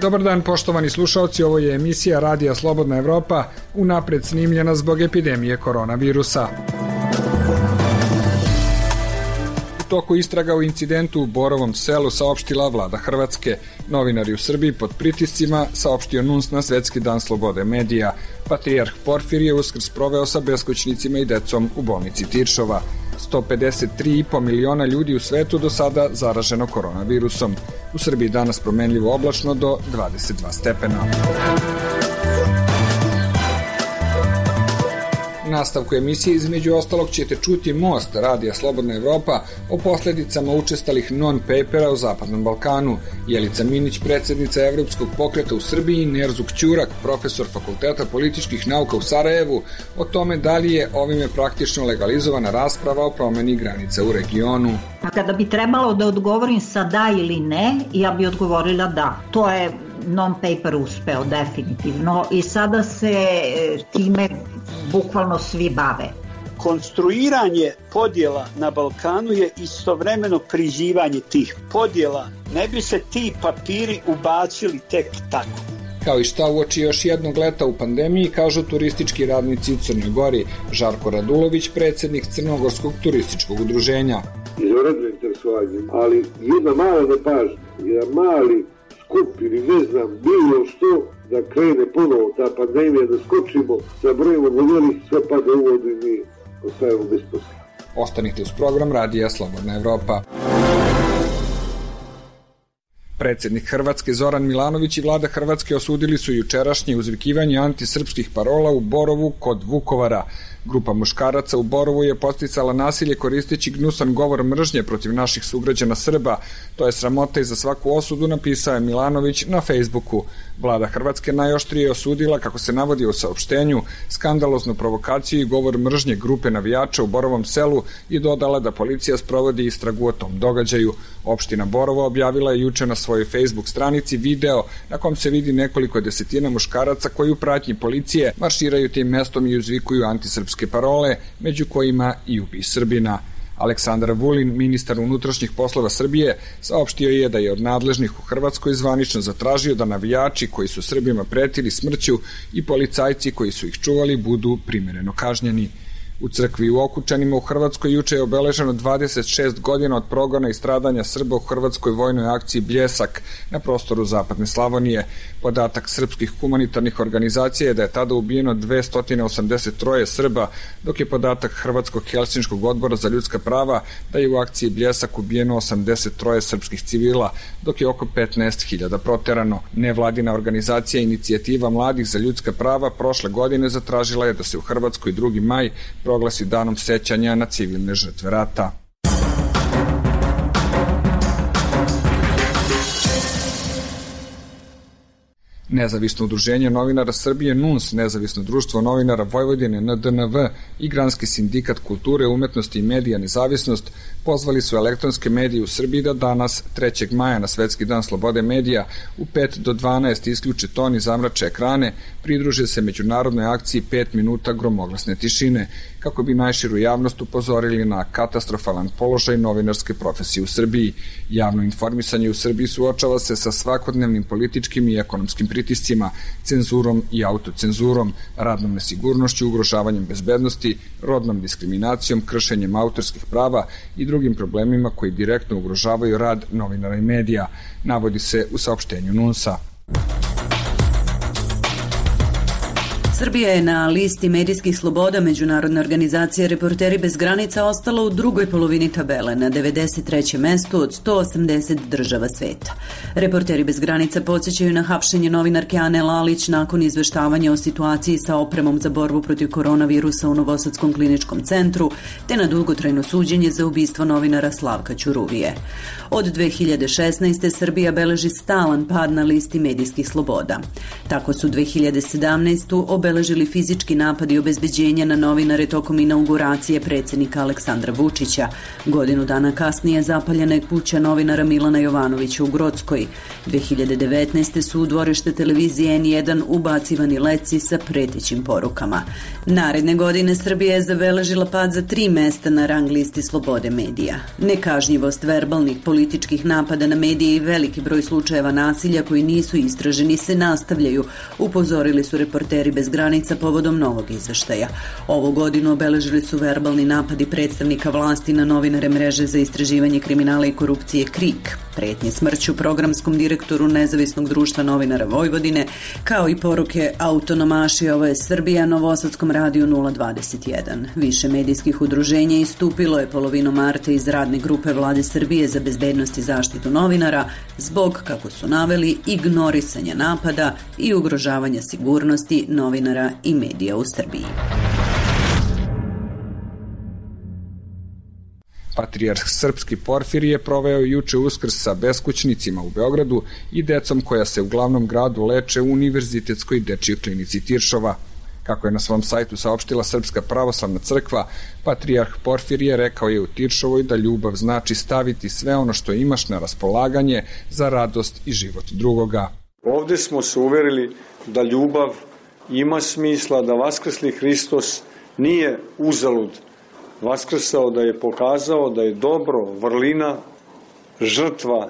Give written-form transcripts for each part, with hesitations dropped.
Dobar dan, poštovani slušaoci, ovo je emisija Radija Slobodna Evropa, unapred snimljena zbog epidemije koronavirusa. U toku istraga u incidentu u Borovom Selu saopštila vlada Hrvatske. Novinari u Srbiji pod pritiscima, saopštio NUNS na Svetski dan slobode medija. Patrijarh Porfirije Uskrs proveo sa beskućnicima i decom u bolnici Tiršova. 153,5 miliona ljudi u svetu do sada zaraženo koronavirusom. U Srbiji danas promenljivo oblačno do 22 stepena. U nastavku emisije između ostalog ćete čuti Most Radija Slobodna Evropa o posledicama učestalih non-papera u Zapadnom Balkanu, Jelica Minić, predsjednica Evropskog pokreta u Srbiji, Nerzuk Ćurak, profesor Fakulteta političkih nauka u Sarajevu, o tome da li je ovime praktično legalizovana rasprava o promeni granica u regionu. A kada bi trebalo da odgovorim sa da ili ne, ja bi odgovorila da. To je non-paper uspeo definitivno i sada se time bukvalno svi bave. Konstruiranje podjela na Balkanu je istovremeno prizivanje tih podjela. Ne bi se ti papiri ubacili tek tako. Kao i šta uoči još jednog leta u pandemiji, kažu turistički radnici u Crnoj Gori. Žarko Radulović, predsjednik Crnogorskog turističkog udruženja. Izvanredno interesovanje, ali jedna mala nepažnja, jedan mali skup ili ne znam, bilo što da krene ponovo ta pandemija, da skočimo sa brojem odvoljenih, sve pada u vodu i mi ostajemo bez posla. Ostanite uz program Radija Slobodna Evropa. Predsjednik Hrvatske Zoran Milanović i vlada Hrvatske osudili su jučerašnje uzvikivanje antisrpskih parola u Borovu kod Vukovara. Grupa muškaraca u Borovu je podsticala nasilje koristeći gnusan govor mržnje protiv naših sugrađana Srba. To je sramota i za svaku osudu, napisao je Milanović na Facebooku. Vlada Hrvatske najoštrije osudila, kako se navodi u saopštenju, skandaloznu provokaciju i govor mržnje grupe navijača u Borovom Selu i dodala da policija sprovodi istragu o tom događaju. Opština Borovo objavila je juče na svojoj Facebook stranici video na kom se vidi nekoliko desetina muškaraca koji u pratnji policije marširaju tim mestom i uzvikuju antisrpske parole, među kojima i ubij Srbina. Aleksandar Vulin, ministar unutrašnjih poslova Srbije, saopštio je da je od nadležnih u Hrvatskoj zvanično zatražio da navijači koji su Srbima pretili smrću i policajci koji su ih čuvali budu primereno kažnjeni. U crkvi u Okučanima u Hrvatskoj juče je obeleženo 26 godina od progona i stradanja Srba u hrvatskoj vojnoj akciji Bljesak na prostoru Zapadne Slavonije. Podatak srpskih humanitarnih organizacija je da je tada ubijeno 283 Srba, dok je podatak Hrvatskog helsinškog odbora za ljudska prava da je u akciji Bljesak ubijeno 83 srpskih civila, dok je oko 15.000 proterano. Nevladina organizacija Inicijativa mladih za ljudska prava prošle godine zatražila je da se u Hrvatskoj 2. maj proglasi danom sećanja na civilne žrtve rata. Nezavisno udruženje novinara Srbije NUNS, Nezavisno društvo novinara Vojvodine NDNV i Granski sindikat kulture, umetnosti i medija Nezavisnost pozvali su elektronske medije u Srbiji da danas, 3. maja na Svetski dan slobode medija, u 5 do 12 isključe ton i zamrače ekrane, pridruže se međunarodnoj akciji 5 minuta gromoglasne tišine, kako bi najširu javnost upozorili na katastrofalan položaj novinarske profesije u Srbiji. Javno informisanje u Srbiji suočava se sa svakodnevnim političkim i ekonomskim pritiscima, cenzurom i autocenzurom, radnom nesigurnošću, ugrožavanjem bezbednosti, rodnom diskriminacijom, kršenjem autorskih prava i drugim problemima koji direktno ugrožavaju rad novinara i medija, navodi se u saopštenju NUNS-a. Srbija je na listi medijskih sloboda Međunarodne organizacije Reporteri bez granica ostala u drugoj polovini tabele, na 93. mestu od 180 država sveta. Reporteri bez granica podsjećaju na hapšenje novinarke Ane Lalić nakon izveštavanja o situaciji sa opremom za borbu protiv koronavirusa u Novosadskom kliničkom centru, te na dugotrajno suđenje za ubistvo novinara Slavka Ćuruvije. Od 2016. Srbija beleži stalan pad na listi medijskih sloboda. Tako su 2017. obeležili obeležili fizički napadi obezbeđenja na novinare tokom inauguracije predsjednika Aleksandra Vučića. Godinu dana kasnije zapaljena je kuća novinara Milana Jovanovića u Grockoj. 2019. su u dvorište televizije N1 ubacivani leci sa pretećim porukama. Naredne godine Srbija je zabeležila pad za 3 mesta na rang listi slobode medija. Nekažnjivost verbalnih političkih napada na medije i veliki broj slučajeva nasilja koji nisu istraženi se nastavljaju, upozorili su Reporteri bez granica povodom novog izveštaja. Ovu godinu obeležili su verbalni napadi predstavnika vlasti na novinare mreže za istraživanje kriminala i korupcije KRIK, pretnje smrću programskom direktoru Nezavisnog društva novinara Vojvodine, kao i poruke autonomaši, ovo je Srbija, Novosadskom radiju 021. Više medijskih udruženja istupilo je polovinom marta iz radne grupe Vlade Srbije za bezbednost i zaštitu novinara zbog, kako su naveli, ignorisanja napada i ugrožavanja sigurnosti novinara i medija u Srbiji. Patrijarh srpski Porfirije proveo juče Uskrs sa beskućnicima u Beogradu i decom koja se u glavnom gradu leče u Univerzitetskoj dečijoj klinici Tiršova. Kako je na svom sajtu saopštila Srpska pravoslavna crkva, Patrijarh Porfirije rekao je u Tiršovoj da ljubav znači staviti sve ono što imaš na raspolaganje za radost i život drugoga. Ovde smo se uverili da ljubav ima smisla, da vaskrsli Hristos nije uzalud vaskrsao, da je pokazao da je dobro, vrlina, žrtva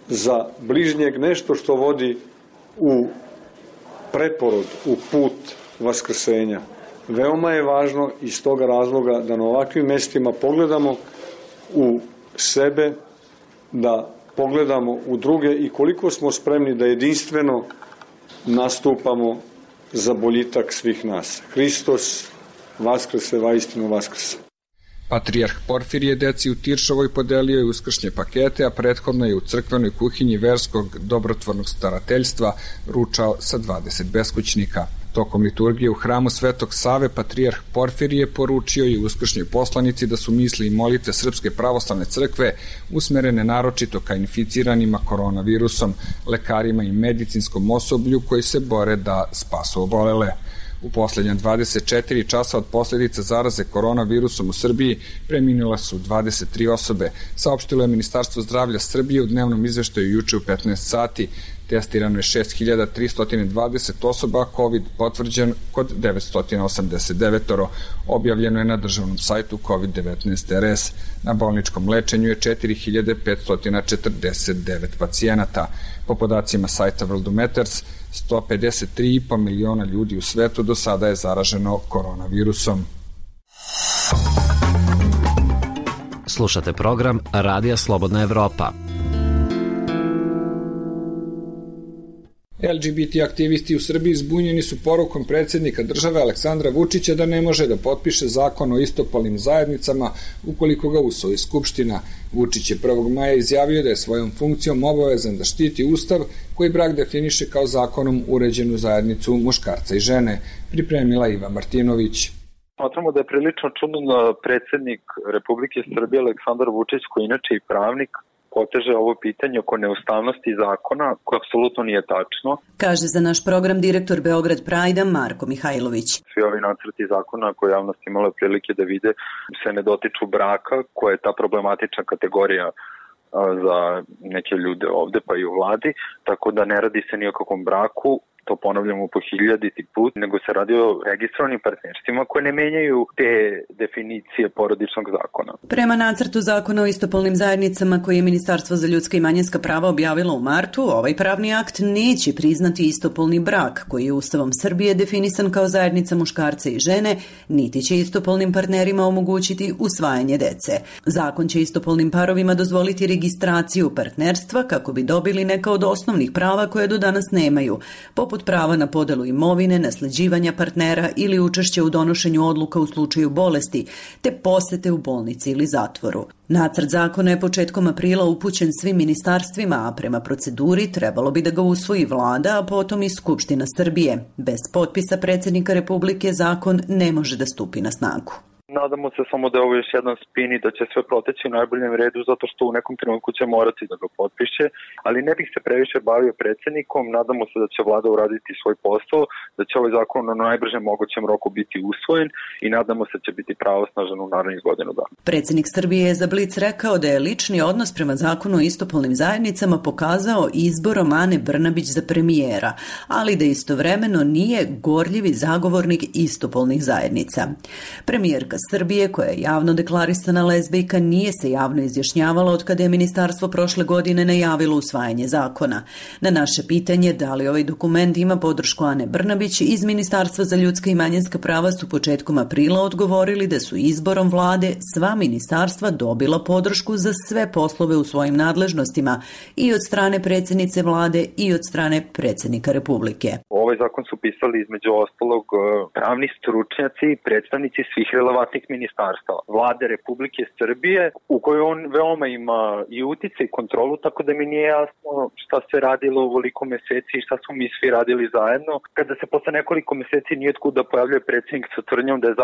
za bližnjeg, nešto što vodi u preporod, u put vaskrsenja. Veoma je važno iz toga razloga da na ovakvim mestima pogledamo u sebe, da pogledamo u druge i koliko smo spremni da jedinstveno nastupamo za boljitak svih nas. Hristos vaskrse, vaistinu vaskrse. Patrijarh Porfirije deci u Tiršovoj podelio je uskršnje pakete, a prethodno je u crkvenoj kuhinji verskog dobrotvornog starateljstva ručao sa 20 beskućnika. Tokom liturgije u hramu Svetog Save Patrijarh Porfirije poručio i uskršnjoj poslanici da su misli i molitve Srpske pravoslavne crkve usmerene naročito ka inficiranima koronavirusom, lekarima i medicinskom osoblju koji se bore da spasu obolele. U poslednja 24 časa od posljedica zaraze koronavirusom u Srbiji preminula su 23 osobe, saopštilo je Ministarstvo zdravlja Srbije u dnevnom izveštaju juče u 15 sati. Testirano je 6320 osoba, COVID potvrđen kod 989. Objavljeno je na državnom sajtu COVID-19 RS. Na bolničkom lečenju je 4549 pacijenata. Po podacima sajta Worldometers, 153,5 miliona ljudi u svetu do sada je zaraženo koronavirusom. Slušate program Radija Slobodna Evropa. LGBT aktivisti u Srbiji zbunjeni su porukom predsjednika države Aleksandra Vučića da ne može da potpiše zakon o istopolnim zajednicama ukoliko ga usvoji Skupština. Vučić je 1. maja izjavio da je svojom funkcijom obavezan da štiti Ustav koji brak definiše kao zakonom uređenu zajednicu muškarca i žene, pripremila Iva Martinović. Smatramo da je prilično čudno da predsjednik Republike Srbije Aleksandar Vučić, koji inače i pravnik, poteže ovo pitanje oko neustavnosti zakona, koje apsolutno nije tačno. Kaže za naš program direktor Beograd Prajda Marko Mihajlović. Svi ovi nacrti zakona koje javnost imala prilike da vide se ne dotiču braka, koja je ta problematična kategorija za neke ljude ovde, pa i u vladi, tako da ne radi se ni o kakvom braku, to ponavljamo po 1000. put, nego se radi o registrovanim partnerstvima koje ne menjaju te definicije porodičnog zakona. Prema nacrtu zakona o istopolnim zajednicama koje je Ministarstvo za ljudska i manjinska prava objavilo u martu, ovaj pravni akt neće priznati istopolni brak, koji je Ustavom Srbije definisan kao zajednica muškarca i žene, niti će istopolnim partnerima omogućiti usvajanje dece. Zakon će istopolnim parovima dozvoliti registraciju partnerstva kako bi dobili neka od osnovnih prava koje do danas nemaju, poput prava na podelu imovine, nasleđivanja partnera ili učešće u donošenju odluka u slučaju bolesti, te posete u bolnici ili zatvoru. Nacrt zakona je početkom aprila upućen svim ministarstvima, a prema proceduri trebalo bi da ga usvoji vlada, a potom i Skupština Srbije. Bez potpisa predsjednika Republike zakon ne može da stupi na snagu. Nadamo se samo da je ovo još jedan spin i da će sve proteći u najboljem redu, zato što u nekom trenutku će morati da ga potpiše, ali ne bih se previše bavio predsjednikom. Nadamo se da će vlada uraditi svoj posao, da će ovaj zakon na najbržem mogućem roku biti usvojen i nadamo se da će biti pravosnažan u narednih godinu dana. Predsjednik Srbije je za Blic rekao da je lični odnos prema zakonu o istopolnim zajednicama pokazao izborom Ane Brnabić za premijera, ali da istovremeno nije gorljivi zagovornik istopolnih zajednica. Premijerka Srbije, koja je javno deklarisana lezbijka, nije se javno izjašnjavala od kada je ministarstvo prošle godine najavilo usvajanje zakona. Na naše pitanje da li ovaj dokument ima podršku Ane Brnabić, iz Ministarstva za ljudska i manjinska prava su početkom aprila odgovorili da su izborom vlade sva ministarstva dobila podršku za sve poslove u svojim nadležnostima i od strane predsjednice vlade i od strane predsjednika Republike. Ovaj zakon su pisali između ostalog pravni stručnjaci i predstavnici svih relevantnih ministarstava vlade Republike Srbije, u kojoj on veoma ima i utjecaj i kontrolu, tako da mi nije jasno šta se radilo ovoliko meseci i šta smo mi svi radili zajedno, kada se posle nekoliko meseci nije otkud da pojavljuje predsjednik sa tvrdnjom da je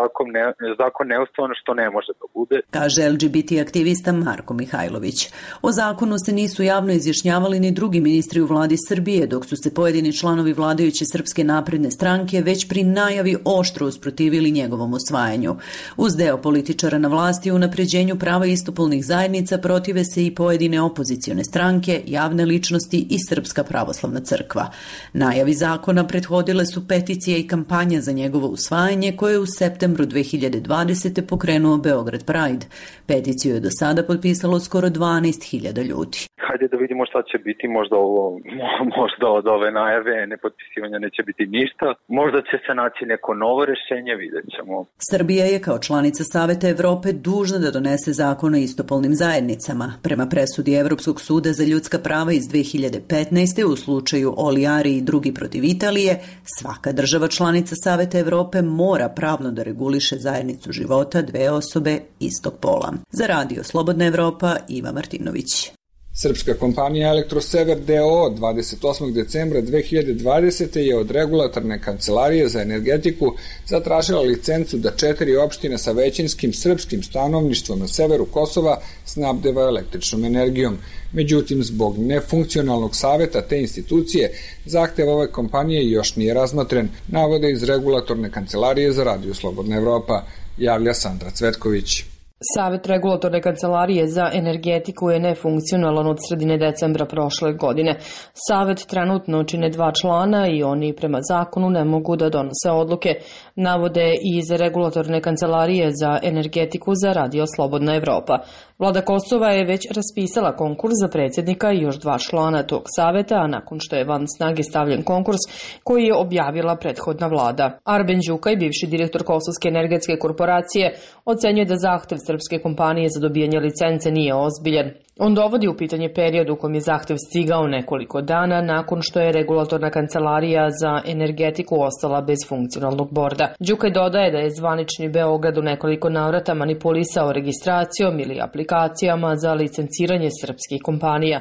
zakon neustavan, što ne može da bude. Kaže LGBT aktivista Marko Mihajlović. O zakonu se nisu javno izjašnjavali ni drugi ministri u vladi Srbije, dok su se pojedini članovi vladajuće Srpske napredne stranke već pri najavi oštro usprotivili njegovom usvajanju. Uz deo političara na vlasti u unapređenju prava istopolnih zajednica protive se i pojedine opozicione stranke, javne ličnosti i Srpska pravoslavna crkva. Najavi zakona prethodile su peticije i kampanja za njegovo usvajanje koje je u septembru 2020. pokrenuo Beograd Pride. Peticiju je do sada potpisalo skoro 12.000 ljudi. Hajde da vidimo šta će biti, možda od ove najave nepotpisivanja neće biti ništa, možda će se naći neko novo rešenje, vidjet ćemo. Srbija je kao članica Saveta Evrope dužna da donese zakon o istopolnim zajednicama. Prema presudi Evropskog suda za ljudska prava iz 2015. u slučaju Oliari i drugi protiv Italije, svaka država članica Saveta Evrope mora pravno da reguliše zajednicu života dve osobe istog pola. Za Radio Slobodna Evropa, Iva Martinović. Srpska kompanija Elektrosever D.O. 28. decembra 2020. je od regulatorne kancelarije za energetiku zatražila licencu da 4 opštine sa većinskim srpskim stanovništvom na severu Kosova snabdeva električnom energijom. Međutim, zbog nefunkcionalnog saveta te institucije, zahtev ove kompanije još nije razmotren, navode iz regulatorne kancelarije za Radio Slobodna Evropa, javlja Sandra Cvetković. Savet regulatorne kancelarije za energetiku je nefunkcionalan od sredine decembra prošle godine. Savet trenutno čine 2 člana i oni prema zakonu ne mogu da donose odluke, navode iz regulatorne kancelarije za energetiku za Radio Slobodna Evropa. Vlada Kosova je već raspisala konkurs za predsjednika i još 2 člana tog saveta, a nakon što je van snage stavljen konkurs koji je objavila prethodna vlada. Arben Đukaj, bivši direktor Kosovske energetske korporacije, ocenjuje da zahtev srpske kompanije za dobijanje licence nije ozbiljan. On dovodi u pitanje period u kojem je zahtev stigao nekoliko dana nakon što je regulatorna kancelarija za energetiku ostala bez funkcionalnog borda. Đukaj dodaje da je zvanični Beograd u nekoliko navrata manipulisao registracijom ili aplikacijama za licenciranje srpskih kompanija.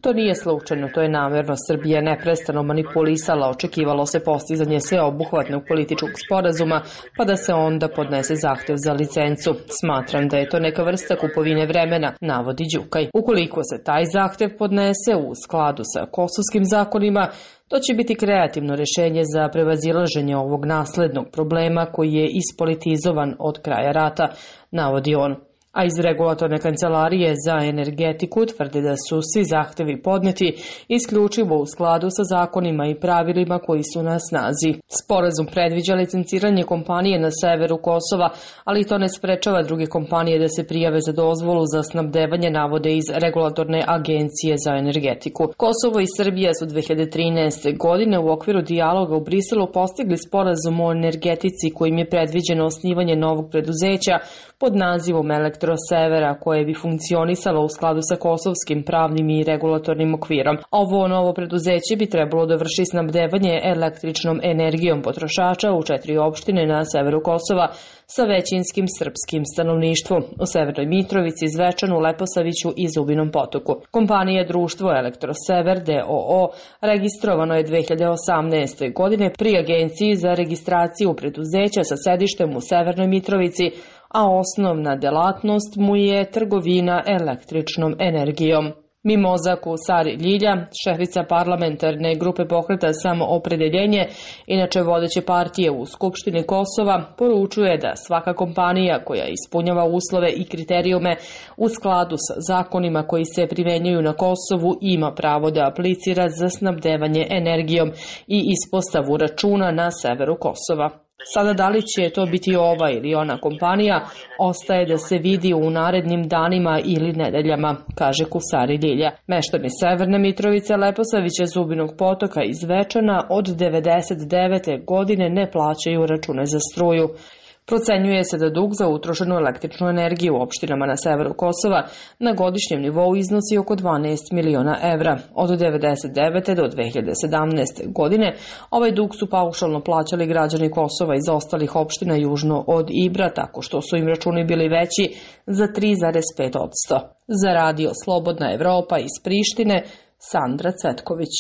To nije slučajno, to je namerno. Srbija neprestano manipulisala, očekivalo se postizanje sveobuhvatnog političkog sporazuma, pa da se onda podnese zahtev za licencu. Smatram da je to neka vrsta kupovine vremena, navodi Đukaj. Ukoliko se taj zahtev podnese u skladu sa kosovskim zakonima, to će biti kreativno rešenje za prevazilaženje ovog naslednog problema koji je ispolitizovan od kraja rata, navodi on. A iz regulatorne kancelarije za energetiku tvrde da su svi zahtevi podneti isključivo u skladu sa zakonima i pravilima koji su na snazi. Sporazum predviđa licenciranje kompanije na severu Kosova, ali to ne sprečava druge kompanije da se prijave za dozvolu za snabdevanje, navode iz regulatorne agencije za energetiku. Kosovo i Srbija su 2013. godine u okviru dijaloga u Briselu postigli sporazum o energetici kojim je predviđeno osnivanje novog preduzeća pod nazivom Elektrosever Elektrosevera koje bi funkcionisalo u skladu sa kosovskim pravnim i regulatornim okvirom. Ovo novo preduzeće bi trebalo da vrši snabdevanje električnom energijom potrošača u 4 opštine na severu Kosova sa većinskim srpskim stanovništvom u Severnoj Mitrovici, Zvečanu, Leposaviću i Zubinom Potoku. Kompanija društvo Elektrosever d.o.o. registrovano je 2018. godine pri Agenciji za registraciju preduzeća sa sedištem u Severnoj Mitrovici, a osnovna delatnost mu je trgovina električnom energijom. Mimoza Kusari Ljilja, šefica parlamentarne grupe Pokreta Samoopredeljenje, inače vodeće partije u Skupštini Kosova, poručuje da svaka kompanija koja ispunjava uslove i kriterijume u skladu sa zakonima koji se primenjuju na Kosovu ima pravo da aplicira za snabdevanje energijom i ispostavu računa na severu Kosova. Sada da li će to biti ova ili ona kompanija, ostaje da se vidi u narednim danima ili nedeljama, kaže Kusari Ljilja. Meštani Severne Mitrovice, Leposavića, Zubinog Potoka i Zvečana od 1999. godine ne plaćaju račune za struju. Procenjuje se da dug za utrošenu električnu energiju u opštinama na severu Kosova na godišnjem nivou iznosi oko 12 miliona evra. Od 1999. do 2017. godine ovaj dug su paušalno plaćali građani Kosova iz ostalih opština južno od Ibra, tako što su im računi bili veći za 3,5%. Za radio Slobodna Evropa iz Prištine, Sandra Cvetković.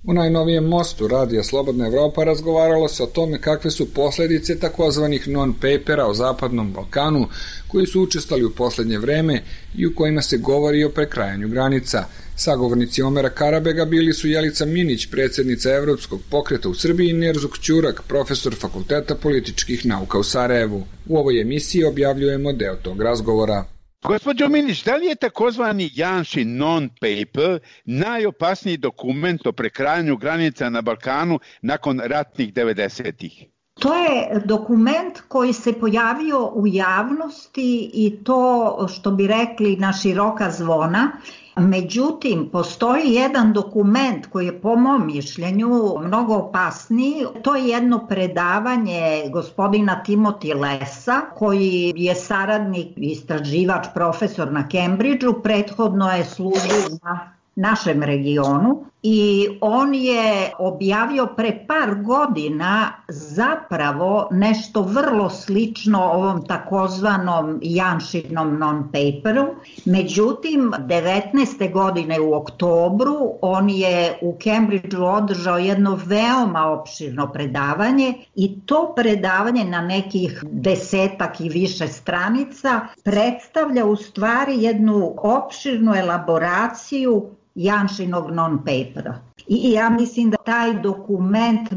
U najnovijem mostu Radija Slobodna Evropa razgovaralo se o tome kakve su posljedice takozvanih non-papera o Zapadnom Balkanu koji su učestali u poslednje vreme i u kojima se govori o prekrajanju granica. Sagovornici Omera Karabega bili su Jelica Minić, predsjednica Evropskog pokreta u Srbiji, i Nerzuk Ćurak, profesor Fakulteta političkih nauka u Sarajevu. U ovoj emisiji objavljujemo deo tog razgovora. Gospođo Minić, da li je takozvani Janšin non-paper najopasniji dokument o prekrajanju granica na Balkanu nakon ratnih 90-ih? To je dokument koji se pojavio u javnosti i to, što bi rekli, na široka zvona. Međutim, postoji jedan dokument koji je po mom mišljenju mnogo opasniji. To je jedno predavanje gospodina Timothy Lessa, koji je saradnik, istraživač, profesor na Cambridgeu, prethodno je služio na našem regionu i on je objavio pre par godina zapravo nešto vrlo slično ovom takozvanom Janšinom non-paperu. Međutim, 19. godine u oktobru on je u Cambridgeu održao jedno veoma opširno predavanje i to predavanje na nekih 10 i više stranica predstavlja u stvari jednu opširnu elaboraciju Janšinog non-papera. I ja mislim da taj dokument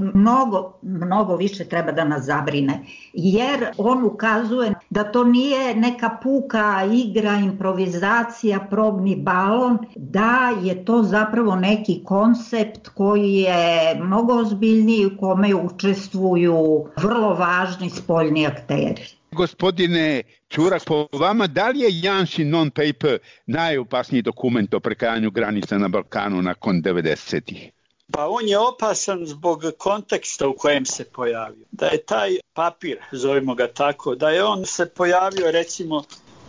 mnogo više treba da nas zabrine, jer on ukazuje da to nije neka puka igra, improvizacija, probni balon, da je to zapravo neki koncept koji je mnogo ozbiljniji, u kome učestvuju vrlo važni spoljni akteri. Gospodine Ćurak, po vama, da li je Janšin non-paper najopasniji dokument o prekrajanju granica na Balkanu nakon 90-ih? Pa on je opasan zbog konteksta u kojem se pojavio. Da je taj papir, zovemo ga tako, da je on se pojavio recimo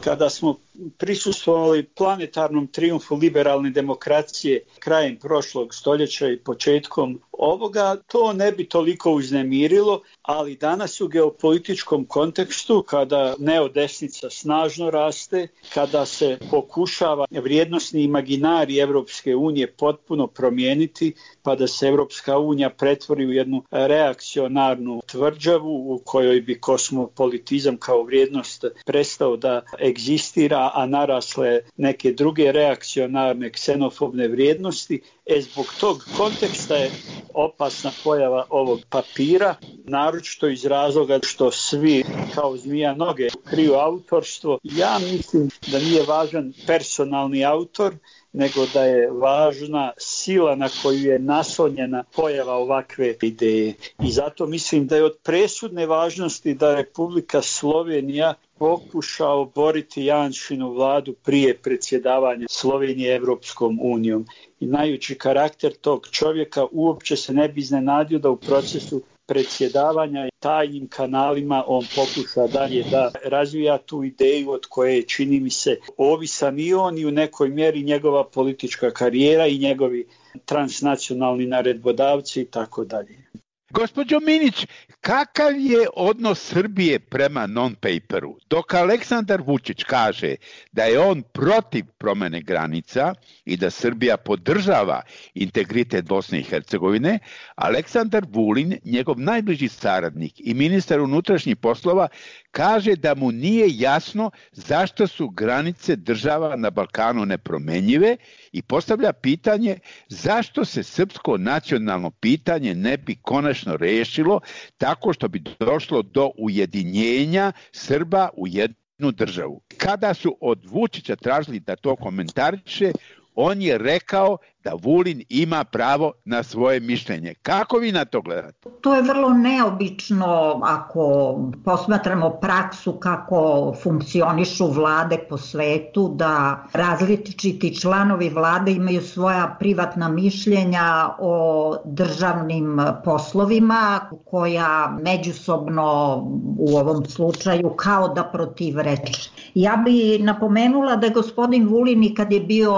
kada smo prisustvovali planetarnom trijumfu liberalne demokracije krajem prošlog stoljeća i početkom ovoga, to ne bi toliko uznemirilo, ali danas u geopolitičkom kontekstu, kada neodesnica snažno raste, kada se pokušava vrijednosni imaginari Evropske unije potpuno promijeniti, pa da se Evropska unija pretvori u jednu reakcionarnu tvrđavu u kojoj bi kosmopolitizam kao vrijednost prestao da egzistira, a narasle neke druge reakcionarne ksenofobne vrijednosti. Zbog tog konteksta je opasna pojava ovog papira, naročito iz razloga što svi kao zmija noge kriju autorstvo. Ja mislim da nije važan personalni autor, nego da je važna sila na koju je naslonjena pojava ovakve ideje. I zato mislim da je od presudne važnosti da Republika Slovenija pokuša oboriti Janšinu vladu prije predsjedavanja Slovenije Evropskom unijom. I znajući karakter tog čovjeka, uopće se ne bi iznenadio da u procesu predsjedavanja i tajnim kanalima on pokuša dalje da razvija tu ideju od koje čini mi se ovisan i on i u nekoj mjeri njegova politička karijera i njegovi transnacionalni naredbodavci i tako dalje. Gospođo Minić, kakav je odnos Srbije prema non-paperu? Dok Aleksandar Vučić kaže da je on protiv promene granica i da Srbija podržava integritet Bosne i Hercegovine, Aleksandar Vulin, njegov najbliži saradnik i ministar unutrašnjih poslova, kaže da mu nije jasno zašto su granice država na Balkanu nepromenjive i postavlja pitanje zašto se srpsko nacionalno pitanje ne bi konačno rešilo tako što bi došlo do ujedinjenja Srba u jednu državu. Kada su od Vučića tražili da to komentariše, on je rekao da Vulin ima pravo na svoje mišljenje. Kako vi na to gledate? To je vrlo neobično ako posmatramo praksu kako funkcionišu vlade po svetu, da različiti članovi vlade imaju svoja privatna mišljenja o državnim poslovima koja međusobno u ovom slučaju kao da protivreče. Ja bi napomenula da je gospodin Vulin i kad je bio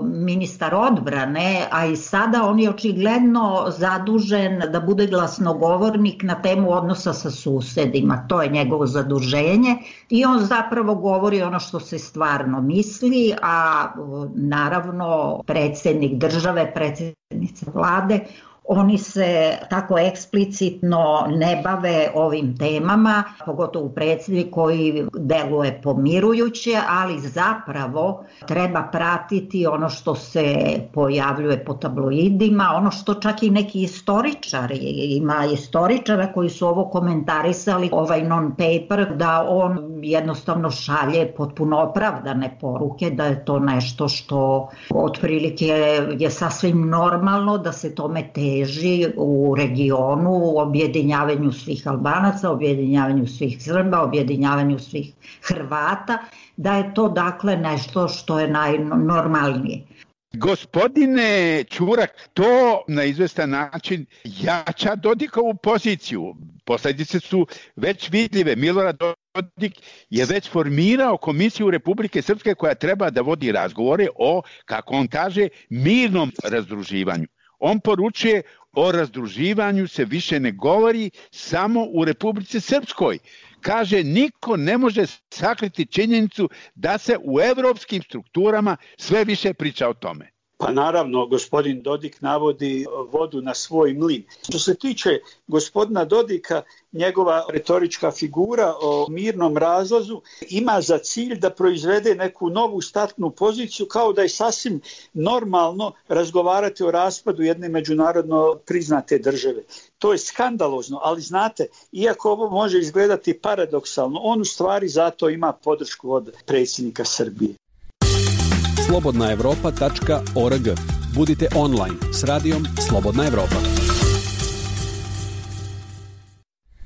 ministar odbrane, a i sada on je očigledno zadužen da bude glasnogovornik na temu odnosa sa susedima. To je njegovo zaduženje i on zapravo govori ono što se stvarno misli, a naravno predsjednik države, predsjednica vlade, oni se tako eksplicitno ne bave ovim temama, pogotovo predsjednik koji deluje pomirujuće, ali zapravo treba pratiti ono što se pojavljuje po tabloidima, ono što čak i neki istoričari, ima istoričara koji su ovo komentarisali, ovaj non-paper, da on jednostavno šalje potpuno opravdane poruke, da je to nešto što otprilike je sasvim normalno da se tome teži u regionu, u objedinjavanju svih Albanaca, objedinjavanju svih Srba, objedinjavanju svih Hrvata, da je to dakle nešto što je najnormalnije. Gospodine Čurak, to na izvestan način jača Dodikovu poziciju. Posljedice su već vidljive. Milorad Dodik je već formirao Komisiju Republike Srpske koja treba da vodi razgovore o, kako on kaže, mirnom razdruživanju. On poručuje o razdruživanju se više ne govori samo u Republici Srpskoj. Kaže, niko ne može sakriti činjenicu da se u evropskim strukturama sve više priča o tome. Pa naravno, gospodin Dodik navodi vodu na svoj mlin. Što se tiče gospodina Dodika, njegova retorička figura o mirnom razlazu ima za cilj da proizvede neku novu startnu poziciju, kao da je sasvim normalno razgovarati o raspadu jedne međunarodno priznate države. To je skandalozno, ali znate, iako ovo može izgledati paradoksalno, on u stvari zato ima podršku od predsjednika Srbije. slobodnaevropa.org. Budite online s radijom Slobodna Evropa.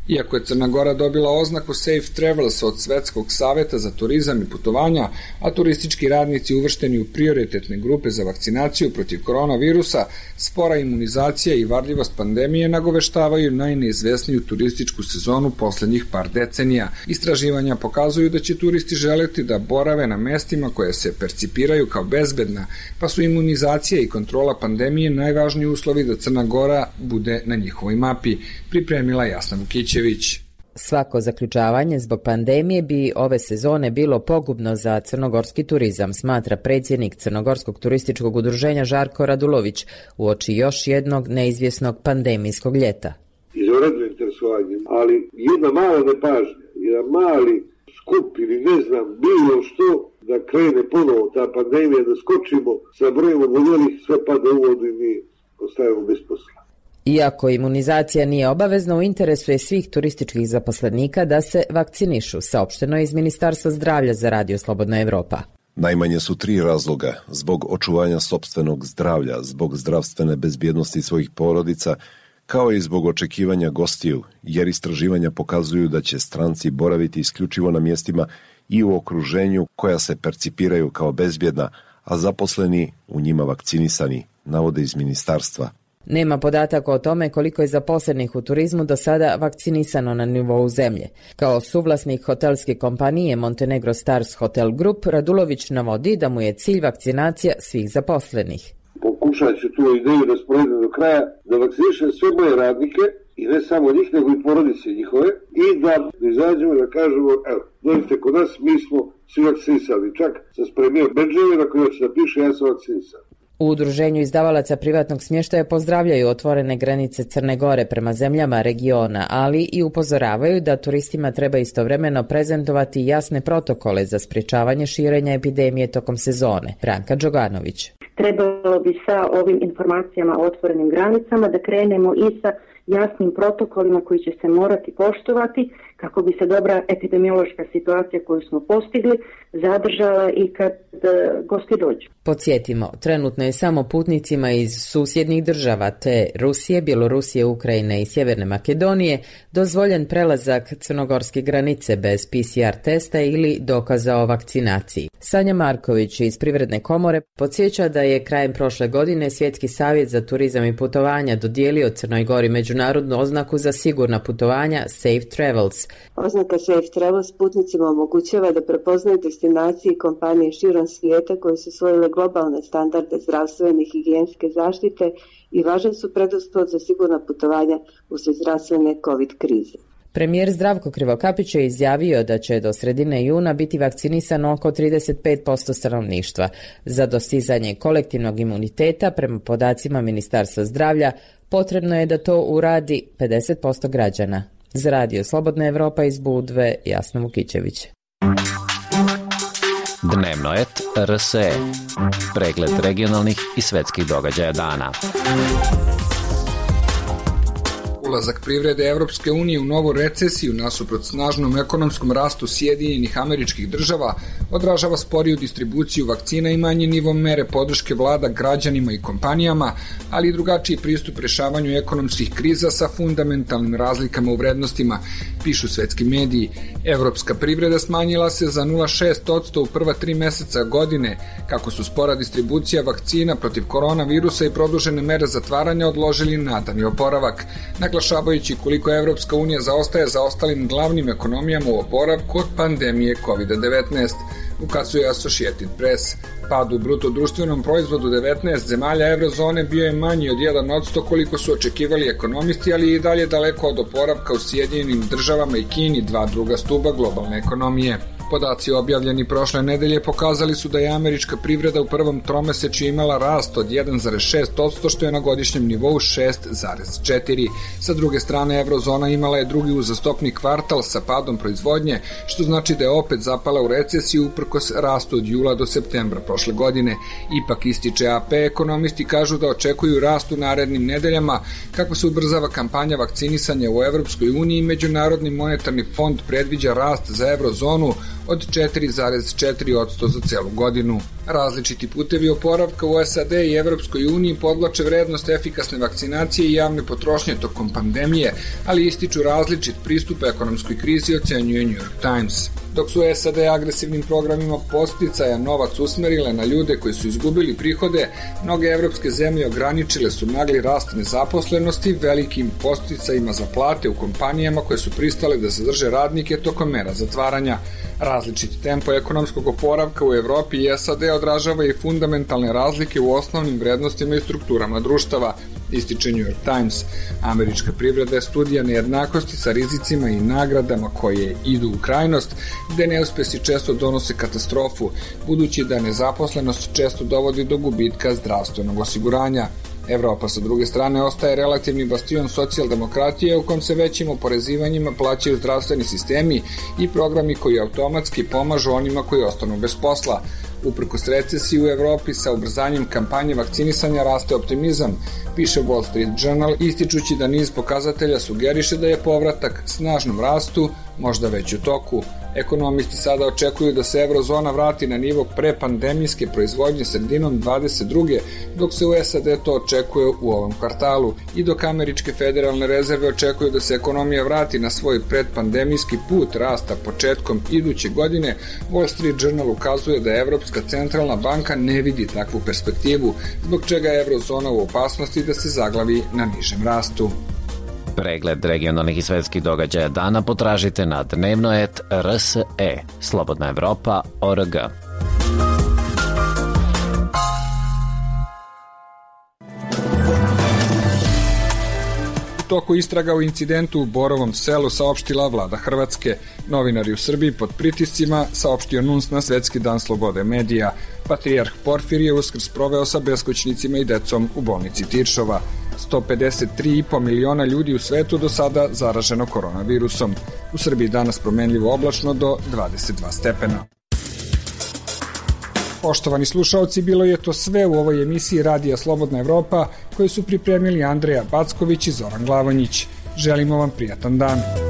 Iako je Crna Gora dobila oznaku Safe Travels od Svetskog saveta za turizam i putovanja, a turistički radnici uvršteni u prioritetne grupe za vakcinaciju protiv koronavirusa, spora imunizacija i varljivost pandemije nagoveštavaju najneizvesniju turističku sezonu poslednjih par decenija. Istraživanja pokazuju da će turisti želeti da borave na mestima koje se percipiraju kao bezbedna, pa su imunizacija i kontrola pandemije najvažniji uslovi da Crna Gora bude na njihovoj mapi, pripremila Jasna Vukić. Svako zaključavanje zbog pandemije bi ove sezone bilo pogubno za crnogorski turizam, smatra predsjednik Crnogorskog turističkog udruženja Žarko Radulović uoči još jednog neizvjesnog pandemijskog ljeta. Izvanredno interesovanje, ali jedna mala nepažnja, jedan mali skup ili ne znam bilo što da krene ponovo ta pandemija, da skočimo sa brojem oboljelih, sve pada u vodu i mi ostajemo bez posla. Iako imunizacija nije obavezna, u interesu je svih turističkih zaposlenika da se vakcinišu, saopšteno je iz Ministarstva zdravlja za Radio Slobodna Evropa. Najmanje su 3 razloga: zbog očuvanja sopstvenog zdravlja, zbog zdravstvene bezbjednosti svojih porodica, kao i zbog očekivanja gostiju, jer istraživanja pokazuju da će stranci boraviti isključivo na mjestima i u okruženju koja se percipiraju kao bezbjedna, a zaposleni u njima vakcinisani, navode iz ministarstva. Nema podataka o tome koliko je zaposlenih u turizmu do sada vakcinisano na nivou zemlje. Kao suvlasnik hotelske kompanije Montenegro Stars Hotel Group, Radulović navodi da mu je cilj vakcinacija svih zaposlenih. Pokušat ću tu ideju da sprovedem do kraja, da vakcinišem sve moje radnike, i ne samo njih, nego i porodice njihove, i da izađemo da kažemo, evo, dođite kod nas, mi smo svi vakcinisali. Čak sam spremio bedževe na koje će da piše, ja sam vakcinisan. U udruženju izdavalaca privatnog smještaja pozdravljaju otvorene granice Crne Gore prema zemljama regiona, ali i upozoravaju da turistima treba istovremeno prezentovati jasne protokole za sprječavanje širenja epidemije tokom sezone. Branka Đoganović. Trebalo bi sa ovim informacijama o otvorenim granicama da krenemo i sa jasnim protokolima koji će se morati poštovati kako bi se dobra epidemiološka situacija koju smo postigli zadržala i kad gosti dođu. Podsjetimo, trenutno je samo putnicima iz susjednih država te Rusije, Bjelorusije, Ukrajine i Sjeverne Makedonije dozvoljen prelazak crnogorske granice bez PCR testa ili dokaza o vakcinaciji. Sanja Marković iz Privredne komore podsjeća da je krajem prošle godine Svjetski savjet za turizam i putovanja dodijelio Crnoj Gori međunarodnu oznaku za sigurna putovanja Safe Travels. Oznaka Safe Travels putnicima omogućava da prepoznaju destinacije i kompanije širom svijeta koje su usvojile globalne standarde zdravstvene i higijenske zaštite i važan su preduslov za sigurna putovanja uslijed zdravstvene COVID krize. Premijer Zdravko Krivokapić je izjavio da će do sredine juna biti vakcinisano oko 35% stanovništva. Za dostizanje kolektivnog imuniteta, prema podacima Ministarstva zdravlja, potrebno je da to uradi 50% građana. Za Radio Slobodna Evropa iz Budve, Jasna Vukićević. Dnevno et RSE. Pregled regionalnih i svetskih događaja dana. Ulazak privrede Evropske unije u novu recesiju nasuprot snažnom ekonomskom rastu Sjedinjenih Američkih Država odražava sporiju distribuciju vakcina i manji nivo mere podrške vlada građanima i kompanijama, ali i drugačiji pristup rešavanju ekonomskih kriza sa fundamentalnim razlikama u vrednostima, pišu svetski mediji. Evropska privreda smanjila se za 0,6% u prva 3 meseca godine, kako su spora distribucija vakcina protiv koronavirusa i produžene mere zatvaranja odložili nadani oporavak, naglašavajući koliko Evropska unija zaostaje za ostalim glavnim ekonomijama u oporavku od pandemije COVID-19, ukazuje Associated Press. Pad u bruto društvenom proizvodu 19 zemalja eurozone bio je manji od 1% koliko su očekivali ekonomisti, ali i dalje daleko od oporavka u Sjedinjenim Državama i Kini, dva druga stuba globalne ekonomije. Podaci objavljeni prošle nedelje pokazali su da je američka privreda u prvom tromesečju imala rast od 1,6%, što je na godišnjem nivou 6,4%. Sa druge strane, eurozona imala je drugi uzastopni kvartal sa padom proizvodnje, što znači da je opet zapala u recesiju uprkos rastu od jula do septembra prošle godine. Ipak, ističe AP, ekonomisti kažu da očekuju rast u narednim nedeljama kako se ubrzava kampanja vakcinisanja u Evropskoj uniji. Međunarodni monetarni fond predviđa rast za eurozonu od 4,4% za celu godinu. Različiti putevi oporavka u SAD i Evropskoj uniji podvlače vrednost efikasne vakcinacije i javne potrošnje tokom pandemije, ali ističu različit pristup ekonomskoj krizi, ocenjuje New York Times. Dok su SAD agresivnim programima podsticaja novac usmerile na ljude koji su izgubili prihode, mnoge evropske zemlje ograničile su nagli rast nezaposlenosti velikim podsticajima za plate u kompanijama koje su pristale da zadrže radnike tokom mera zatvaranja. Različiti tempo ekonomskog oporavka u Evropi i SAD odražava i fundamentalne razlike u osnovnim vrednostima i strukturama društava, ističe New York Times. Američka privreda je studija nejednakosti sa rizicima i nagradama koje idu u krajnost, gde neuspesi često donose katastrofu, budući da nezaposlenost često dovodi do gubitka zdravstvenog osiguranja. Evropa sa druge strane ostaje relativni bastion socijaldemokratije u kom se većim oporezivanjima plaćaju zdravstveni sistemi i programi koji automatski pomažu onima koji ostanu bez posla. Uprkos recesiji u Evropi sa ubrzanjem kampanje vakcinisanja raste optimizam, piše Wall Street Journal, ističući da niz pokazatelja sugeriše da je povratak snažnom rastu možda već u toku. Ekonomisti sada očekuju da se eurozona vrati na nivo prepandemijske proizvodnje sredinom 22. dok se u SAD to očekuje u ovom kvartalu i dok američke federalne rezerve očekuju da se ekonomija vrati na svoj predpandemijski put rasta početkom iduće godine, Wall Street Journal ukazuje da Evropska centralna banka ne vidi takvu perspektivu, zbog čega je eurozona u opasnosti da se zaglavi na nižem rastu. Pregled regionalnih i svetskih događaja dana potražite na dnevno.rs.e, Slobodna Evropa.org. U toku istraga u incidentu u Borovom Selu saopštila vlada Hrvatske. Novinari u Srbiji pod pritiscima, saopštio NUNS na Svetski dan slobode medija. Patrijarh Porfirije Uskrs proveo sa beskućnicima i decom u bolnici Tiršova. 153,5 miliona ljudi u svetu do sada zaraženo koronavirusom. U Srbiji danas promenljivo oblačno do 22 stepena. Poštovani slušaoci, bilo je to sve u ovoj emisiji Radija Slobodna Evropa koju su pripremili Andreja Backović i Zoran Glavonjić. Želimo vam prijatan dan.